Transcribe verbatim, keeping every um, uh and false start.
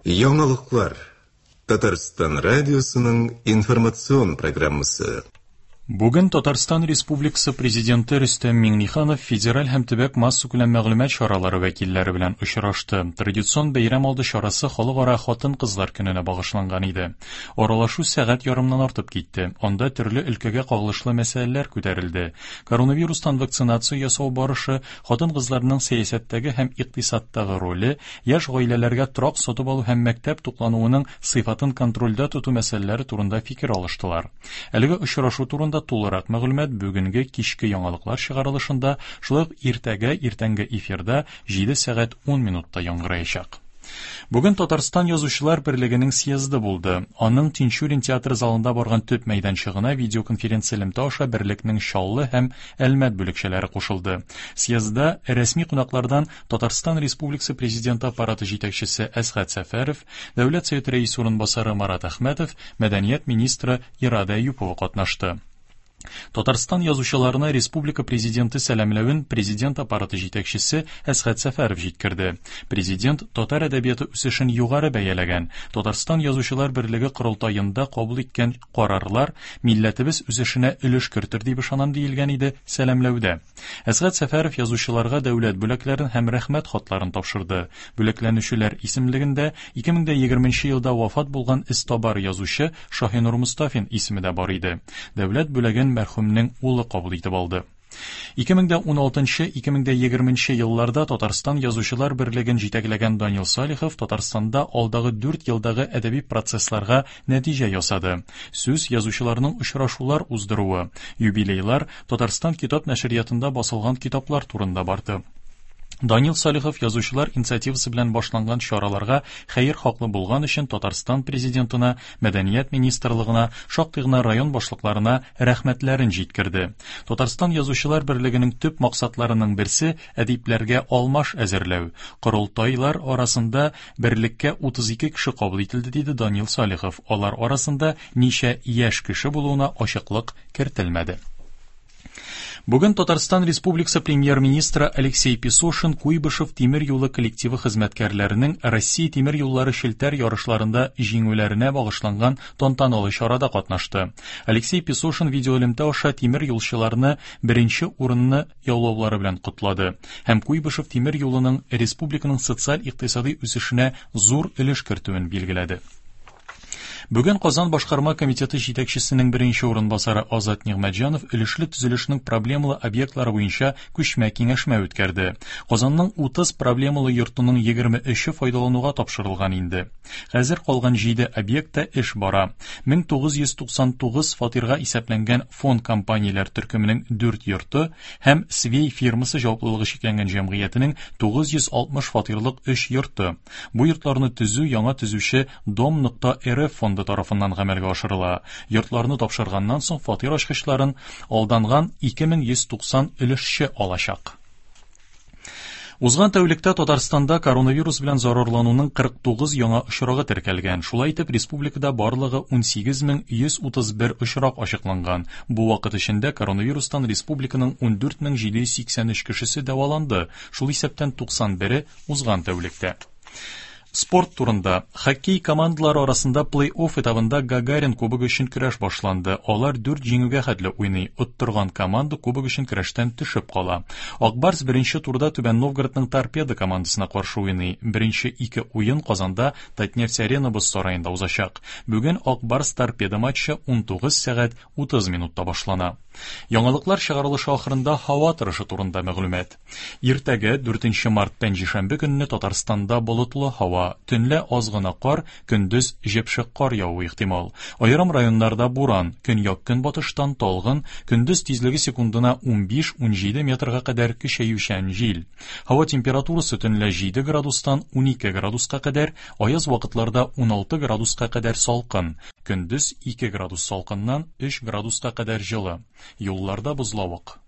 Яңалыклар. Татарстан радиосының информацион программасы. Бүген Татарстан Республикасы Президенты Рөстәм Миңнеханов федераль һәм төбәк массакүләм мәгълүмат чаралары вәкилләре белән очрашты. Традицион бәйрәм алды чарасы Халыкара хатын-кызлар көненә багышланган иде. Аралашу сәгать ярымнан артып китте. Анда төрле өлкәгә кагылышлы мәсьәләләр күтәрелде. Коронавирустан вакцинация ясау барышы, хатын-кызларның сәясәттәге һәм икътисадтагы роле, яшь гаиләләргә торак сатып алу һәм мәктәп туклануының сыйфатын контрольдә тоту мәсьәләләре турында фикер алыштылар. Әлеге очрашу турында тулырак мәгълүмат бүгенге кичке яңалыклар чыгарылышында, шулай ук иртәгә иртәнге эфирда җиде сәгать ун минутта яңгыраячак. Бүген Татарстан Язучылар берлегенең съезды булды. Аның Тинчурин театры залында барган төп мәйданчыгына видеоконференция элемтә аша берлекнең Чаллы һәм Әлмәт бүлекчәләре кушылды. Съездда рәсми кунаклардан Татарстан Республикасы Президенты аппараты җитәкчесе Әсгать Сәфәров, Дәүләт Советы рәисе урынбасары Марат Әхмәтов, мәдәният министры Ирада Әюпова катнашты. Татарстан язучыларына республика президенты сәламләвен президент аппараты җитәкчесе Әсгать Сәфәров җиткерде. Президент татар әдәбияты үсешен югары бәяләгән. Татарстан Язучылар берлеге корылтаенда кабул иткән карарлар милләтебез үсешенә өлеш кертер дип ышанам диелгән иде сәламләүдә. Әсгать Сәфәров язучыларга дәүләт бүләкләрен һәм рәхмәт хатларын тапшырды. Бүләкләнүчеләр исемлегендә ике мең егерменче елда вафат булган эзтабар язучы Шаһинур Мостафин исеме дә бар иде. Дәүләт бүләген мәрхүмнең улы кабул итеп алды. ике мең ун алтынчы ике мең егерменче елларда Татарстан Язучылар берлеген җитәкләгән Данил Салихов Татарстанда алдагы дүрт елдагы әдәби процессларга нәтиҗә ясады. Сүз язучыларның очрашулар уздыруы, юбилейлар, Татарстан китап нәшриятында басылган китаплар турында барды. Данил Салихов язучылар инициативасы белән башланган чараларга хәер хаклы булган өчен Татарстан президентына, мәдәният министрлыгына, шактый гына район башлыкларына рәхмәтләрен җиткерде. Татарстан Язучылар берлегенең төп максатларының берсе әдипләргә алмаш әзерләү. Корылтайлар арасында берлеккә утыз ике кеше кабул ителде, диде Данил Салихов. Алар арасында ничә яшь кеше булуына ачыклык кертелмәде. Бүген Татарстан Республикасы премьер-министры Алексей Песошин Куйбышев тимер юлы коллективы хезмәткәрләренең Россия тимер юллары челтәр ярышларында җиңүләренә багышланган тантаналы чарада катнашты. Алексей Песошин видеоэлемтә аша тимер юлчыларны беренче урынны яулаулары белән котлады һәм Куйбышев тимер юлының республиканың социаль-икътисади үсешенә зур өлеш кертүен билгеләде. Бүген Казан башкарма комитеты җитәкчесенең беренче урынбасары Азат Нигъмәтҗанов өлешле төзелешнең проблемалы объектлары буенча күчмә киңәшмә үткәрде. Казанның утыз проблемалы йортының егерме өче файдалануга тапшырылган инде. Хәзер калган җиде объектта эш бара. мең тугыз йөз туксан тугыз фатирга исәпләнгән фонд компанияләр төркеменең дүрт йорты һәм Свей фирмасы җаваплылыгы чикләнгән җәмгыятенең тугыз йөз алтмыш фатирлык өч йорты. Бу йортларны төзү яңа төзүче дом нокта эр эф фонды тарафыннан гамәлгә ашырыла. Йортларны тапшырганнан соң фатир ачкычларын алданган ике мең йөз туксан өлешче алачак. Узган тәүлектә Татарстанда коронавирус белән зарарлануның кырык тугыз яңа очрагы теркәлгән. Шулай итеп, республикада барлыгы ун сигез мең йөз утыз бер очрак ачыкланган. Бу вакыт эчендә коронавирустан республиканың ун дүрт мең җиде йөз сиксән өч кешесе дәваланды. Шул исәптән туксан бере узган тәүлектә. Спорт турында. Хоккей командалары арасында плей-офф этабында Гагарин кубогы өчен көрәш башланды. Алар дүрт җиңүгә хәтле уйный. Оттырган команда кубок өчен көрәштән төшеп кала. Акбарс беренче турда Түбән Новгородның Торпедо командасына каршы уйный. Беренче ике уен Казанда Татнефть Арена боз сараенда узачак. Бүген Акбарс Торпедо матчы ун тугыз сәгать утыз минутта башлана. Яңалыклар чыгарылышы ахырында һава торышы турында мәгълүмат. Иртәгә дүртенче март пәнҗешәмбе көнне Татарстанда болытлы һава, төнлә аз гына кар, көндез җепшек кар явуы ихтимал. Аерым районнарда буран, көньяк-көнбатыштан талгын, көндез тизлеге секундына ун биш-ун җиде метрга кадәр көчәючән җил. Һава температурасы төнлә җиде градустан ун ике градуска кадәр, аяз вакытларда ун алты градуска кадәр салкын, көндез ике градус салкыннан өч градуска кадәр җылы. Юлларда бозлавык.